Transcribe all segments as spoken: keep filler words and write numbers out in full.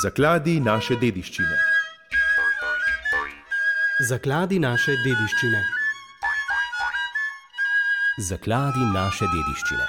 Zakladi naše dediščine. Zakladi naše dediščine. Zakladi naše dediščine.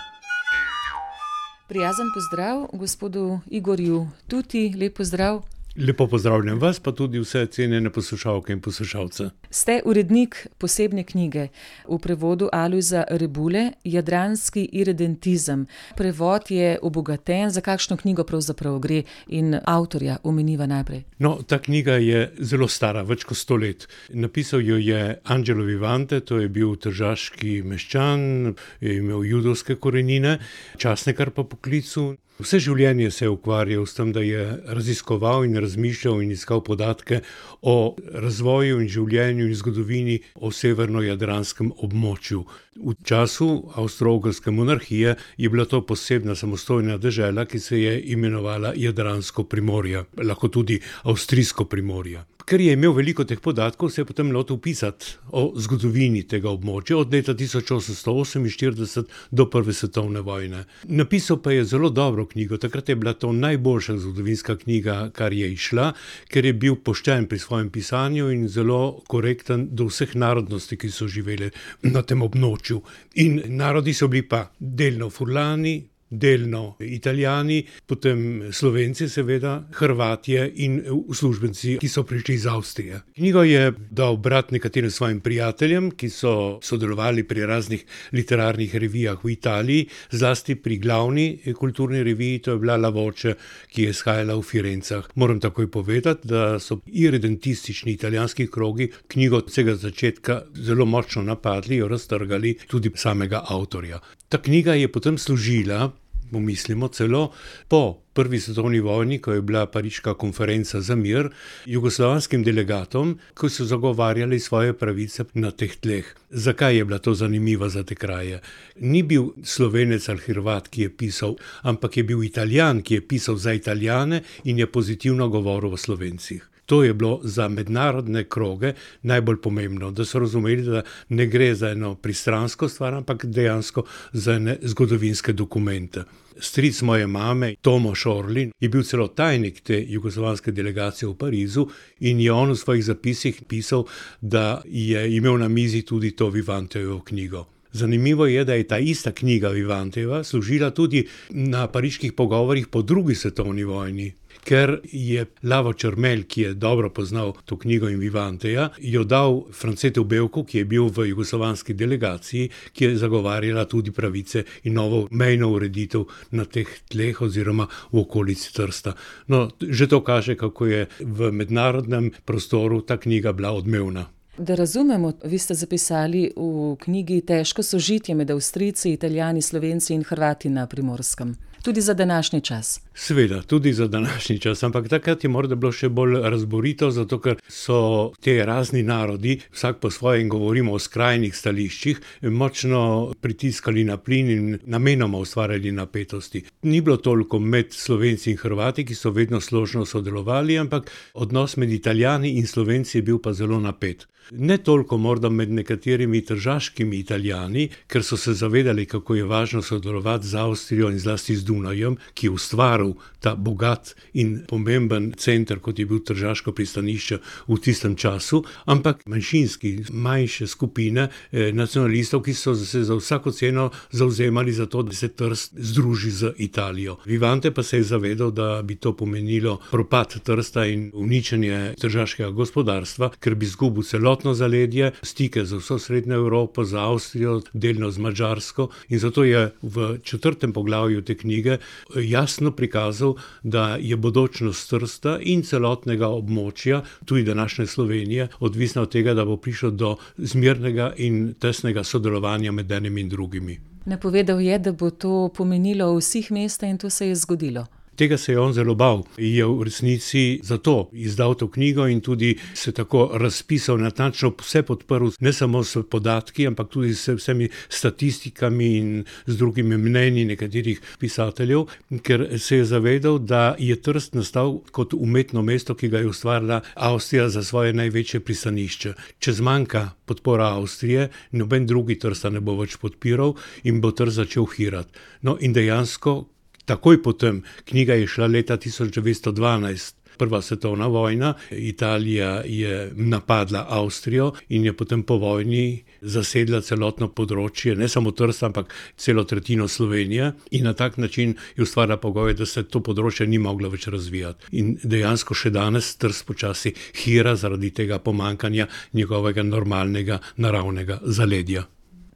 Prijazen pozdrav gospodu Igorju Tuti, lep pozdrav. Lepo pozdravljam vas, pa tudi vse cenjene poslušalke in poslušalce. Ste urednik posebne knjige v prevodu Alojza Rebule, Jadranski iredentizem. Prevod je obogaten, za kakšno knjigo pravzaprav gre in avtorja omeniva najprej. No, ta knjiga je zelo stara, več kot sto let. Napisal jo je Angelo Vivante, to je bil tržaški meščan, je imel judovske korenine, časnikar po poklicu. Vse življenje se je ukvarjal s tem, da je raziskoval in razmišljal in iskal podatke o razvoju in življenju in zgodovini o severnojadranskem območju. V času Avstro-Ogrske monarhije je bila to posebna samostojna dežela, ki se je imenovala Jadransko primorje, lahko tudi Avstrijsko primorje. Ker je imel veliko teh podatkov, se je potem lotil pisati o zgodovini tega območja od leta tisoč osemsto oseminštirideset do prve svetovne vojne. Napisal pa je zelo dobro knjigo, takrat je bila to najboljša zgodovinska knjiga, kar je izšla, ker je bil pošten pri svojem pisanju in zelo korekten do vseh narodnosti, ki so živeli na tem območju. In narodi so bili pa delno Furlani, delno Italijani, potem Slovenci seveda, Hrvatje in uslužbenci, ki so prišli iz Avstrije. Knjigo je dal brat nekaterim svojim prijateljem, ki so sodelovali pri raznih literarnih revijah v Italiji, zlasti pri glavni kulturni reviji, to je bila La Voce, ki je izhajala v Firencah. Moram takoj povedati, da so iredentistični italijanski krogi knjigo od vsega začetka zelo močno napadli, jo raztrgali, tudi samega avtorja. Ta knjiga je potem služila, pomislimo celo, po prvi svetovni vojni, ko je bila pariška konferenca za mir, jugoslovanskim delegatom, ki so zagovarjali svoje pravice na teh tleh. Zakaj je bila to zanimiva za te kraje? Ni bil Slovenec ali Hrvat, ki je pisal, ampak je bil Italijan, ki je pisal za Italijane in je pozitivno govoril o Slovencih. To je bilo za mednarodne kroge najbolj pomembno, da so razumeli, da ne gre za eno pristransko stvar, ampak dejansko za ene zgodovinske dokumente. Stric moje mame, Tomaž Orlin, je bil celo tajnik te jugoslovanske delegacije v Parizu in je on v svojih zapisih pisal, da je imel na mizi tudi to Vivantejevo knjigo. Zanimivo je, da je ta ista knjiga Vivantejeva služila tudi na pariških pogovorih po drugi svetovni vojni, ker je Lavo Črmelj, ki je dobro poznal to knjigo in Vivanteja, jo dal Francetu Bevku, ki je bil v jugoslovanski delegaciji, ki je zagovarjala tudi pravice in novo mejno ureditev na teh tleh oziroma v okolici Trsta. No, že to kaže, kako je v mednarodnem prostoru ta knjiga bila odmevna. Da razumemo, vi ste zapisali v knjigi težko sožitje med Avstrijci, Italijani, Slovenci in Hrvati na Primorskem. Tudi za današnji čas. Seveda, tudi za današnji čas, ampak takrat je morda bilo še bolj razborito, zato ker so te razni narodi, vsak po svojem, govorimo o skrajnih stališčih, močno pritiskali na plin in namenoma ustvarjali napetosti. Ni bilo toliko med Slovenci in Hrvati, ki so vedno složno sodelovali, ampak odnos med Italijani in Slovenci je bil pa zelo napet. Ne toliko morda med nekaterimi tržaškimi Italijani, ker so se zavedali, kako je važno sodelovati z Avstrijo in zlasti z Dunajem, ki je ustvaril ta bogat in pomemben center, kot je bil tržaško pristanišče v tistem času, ampak manjšinski, manjše skupine eh, nacionalistov, ki so se za vsako ceno zavzemali za to, da se Trst združi z Italijo. Vivante pa se je zavedal, da bi to pomenilo propad Trsta in uničenje tržaškega gospodarstva, ker bi izgubil celotno zaledje, stike z vso Srednjo Evropo, z Avstrijo, delno z Madžarsko, in zato je v četrtem poglavju te knjige jasno prikazal, da je bodočnost Trsta in celotnega območja, tudi današnje Slovenije, odvisna od tega, da bo prišlo do zmernega in tesnega sodelovanja med enim in drugimi. Napovedal je, da bo to pomenilo vseh mesta in to se je zgodilo. Tega se je on zelo bal. Je v resnici zato izdal to knjigo in tudi se tako razpisal, natančno vse podprl, ne samo s podatki, ampak tudi s vsemi statistikami in z drugimi mnenji nekaterih pisateljev, ker se je zavedal, da je Trst nastal kot umetno mesto, ki ga je ustvarila Avstrija za svoje največje pristanišče. Če zmanjka podpora Avstrije, noben drugi Trsta ne bo več podpiral in bo Trst začel hirati. No in dejansko Takoj potem, knjiga je šla leta tisoč devetsto dvanajst, prva svetovna vojna, Italija je napadla Avstrijo in je potem po vojni zasedla celotno področje, ne samo Trsta, ampak celo tretjino Slovenije in na tak način je ustvarila pogoje, da se to področje ni moglo več razvijati. In dejansko še danes Trst počasi hira zaradi tega pomankanja njegovega normalnega, naravnega zaledja.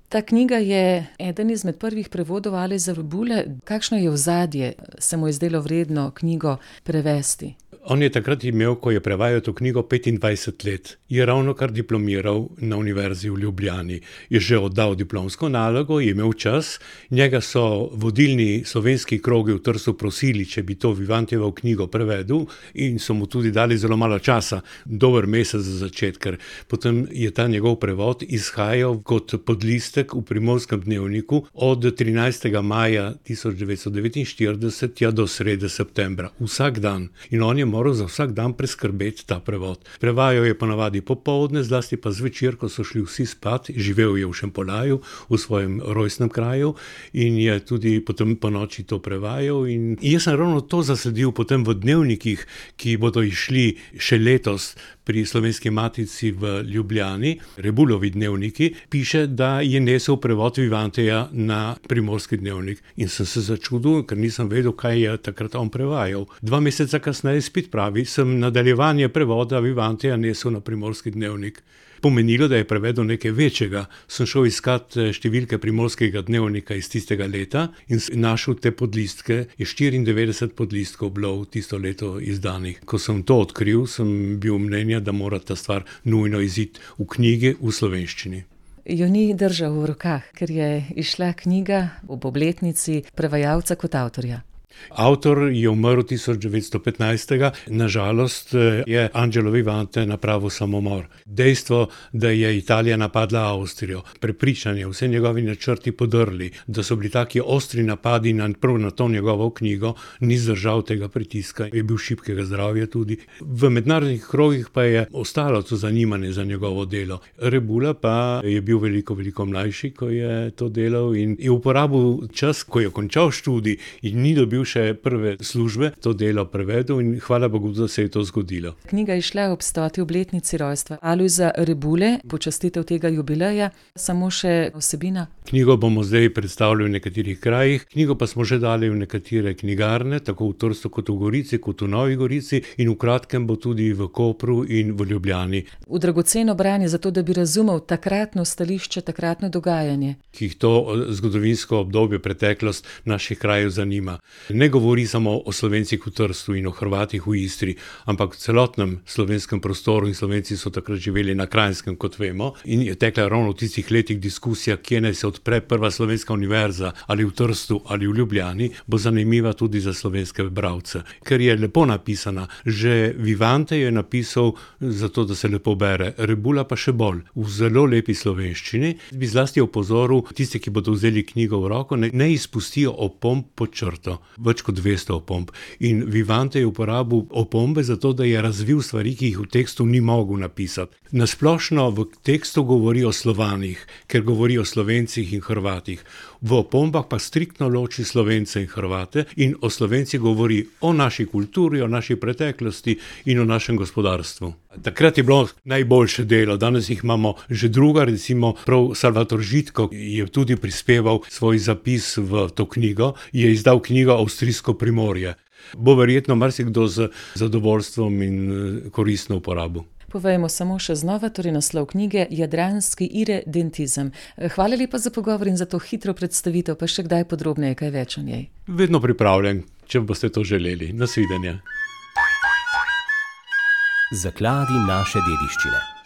Ta knjiga je eden izmed prvih prevodov Alojza Rebule. Kakšno je ozadje, se mu je zdelo vredno knjigo prevesti? On je takrat imel, ko je prevajal to knjigo, petindvajset let. Je ravnokar diplomiral na Univerzi v Ljubljani. Je že oddal diplomsko nalogo, je imel čas. Njega so vodilni slovenski krogi v Trstu prosili, če bi to Vivantejevo knjigo prevedel, in so mu tudi dali zelo malo časa, dober mesec za začetek, ker potem je ta njegov prevod izhajal kot podlistek v Primorskem dnevniku od trinajstega maja tisoč devetsto devetinštirideset ja do srede septembra. Vsak dan. In on je moral za vsak dan preskrbeti ta prevod. Prevajal je ponavadi popoldne, zlasti pa zvečer, ko so šli vsi spat. Živel je v Šempolaju, v svojem rojstnem kraju, in je tudi potem po noči to prevajal. In jaz sem ravno to zasledil potem v dnevnikih, ki bodo išli še letos pri Slovenski matici v Ljubljani, Rebulovi dnevniki, piše, da je nesel prevod Vivanteja na Primorski dnevnik. In sem se začudil, ker nisem vedel, kaj je takrat on prevajal. Dva meseca kasneje spet pravi, sem nadaljevanje prevoda Vivanteja nesel na Primorski dnevnik. Pomenilo, da je prevedel nekaj večjega. Sem šel iskat številke Primorskega dnevnika iz tistega leta in našel te podlistke. Je štiriindevetdeset podlistkov bilo v tisto leto izdanih. Ko sem to odkril, sem bil mnenja, da mora ta stvar nujno iziti v knjigi v slovenščini. Jo ni držal v rokah, ker je izšla knjiga ob obletnici prevajalca kot avtorja. Avtor je umrl tisoč devetsto petnajstega, nažalost je Angelo Vivante napravil samomor. Dejstvo, da je Italija napadla Avstrijo, prepričanje, vse njegovi načrti podrli, da so bili taki ostri napadi na, prav na to njegovo knjigo, ni zdržal tega pritiska, je bil šibkega zdravja tudi. V mednarodnih krogih pa je ostalo to zanimanje za njegovo delo. Rebula pa je bil veliko, veliko mlajši, ko je to delal, in je uporabil čas, ko je končal študij in ni dobil še prve službe, to delo prevedel, in hvala Bogu, da se je to zgodilo. Knjiga je šla ob stoti obletnici rojstva Alojza Rebule, počastitev tega jubileja. Samo še vsebina? Knjigo bomo zdaj predstavili v nekaterih krajih, knjigo pa smo že dali v nekatere knjigarne, tako v Trstu kot v Gorici, kot v Novi Gorici, in v kratkem bo tudi v Kopru in v Ljubljani. V dragoceno branje, zato da bi razumel takratno stališče, takratno dogajanje. Ki jih to zgodovinsko obdobje, preteklost naših krajev zanima. Ne govori samo o Slovencih v Trstu in o Hrvatih v Istri, ampak v celotnem slovenskem prostoru, in Slovenci so takrat živeli na Kranjskem, kot vemo, in je tekla ravno v tistih letih diskusija, kje naj se odpre prva slovenska univerza, ali v Trstu ali v Ljubljani, bo zanimiva tudi za slovenske bralce. Ker je lepo napisana, že Vivante je napisal zato, da se lepo bere, Rebula pa še bolj, v zelo lepi slovenščini. Bi zlasti opozoril tiste, ki bodo vzeli knjigo v roko, ne, ne izpustijo opomb pod črto. Več kot dvesto opomb. In Vivante je uporabil opombe zato, da je razvil stvari, ki jih v tekstu ni mogel napisati. Nasplošno v tekstu govori o Slovanih, ker govori o Slovencih in Hrvatih. V opombah pa striktno loči Slovence in Hrvate in o Slovencih govori o naši kulturi, o naši preteklosti in o našem gospodarstvu. Takrat je bilo najboljše delo, danes jih imamo že druga, recimo prav Salvator Žitko je tudi prispeval svoj zapis v to knjigo, je izdal knjigo Avstrijsko primorje. Bo verjetno marsikdo z zadovoljstvom in koristno uporabo. Povejmo samo še znova, torej naslov knjige Jadranski iredentizem. Hvala lepa za pogovor in za to hitro predstavitev, pa še kdaj podrobneje kaj več o njej. Vedno pripravljen, če boste to želeli. Nasvidenja. Zakladi naše dediščine.